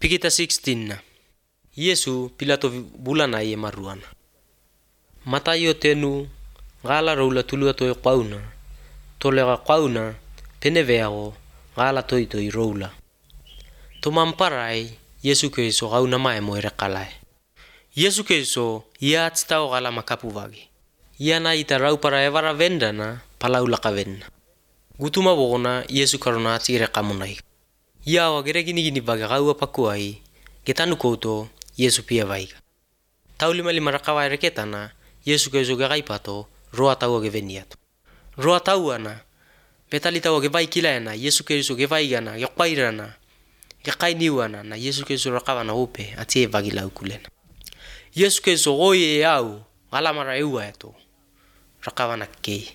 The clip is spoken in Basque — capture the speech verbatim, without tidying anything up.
Pikita sixteen na. Yesu Pilato bulana ye maruana. Matayo tenu ngala roula tulua to qauna. Tolega qauna peneveago ngala toi toi roula. Tomamparai Yesu Kristo qauna mai moire qalai. Yesu Kristo ia tstao qala makapuvagi. Ia na ita rau para evara vendana palaula kavenna. Gutuma bogona Yesu karona tsire qamunai. Ia wa gere gini gini baga qaua pakuai. Getanu kouto Yesu pia vaiga. Taulima lima rakawa reketana Yesu Kristo gagai pato roa taua geveniato. Roa tauana betali taua gevai kilaena Yesu Kristo gevaigana geqairana geqainiwana na Yesu Kristo rakawana upe atie vagila ukulena. Yesu Kristo goye au ngalamara eua eto rakawana kei.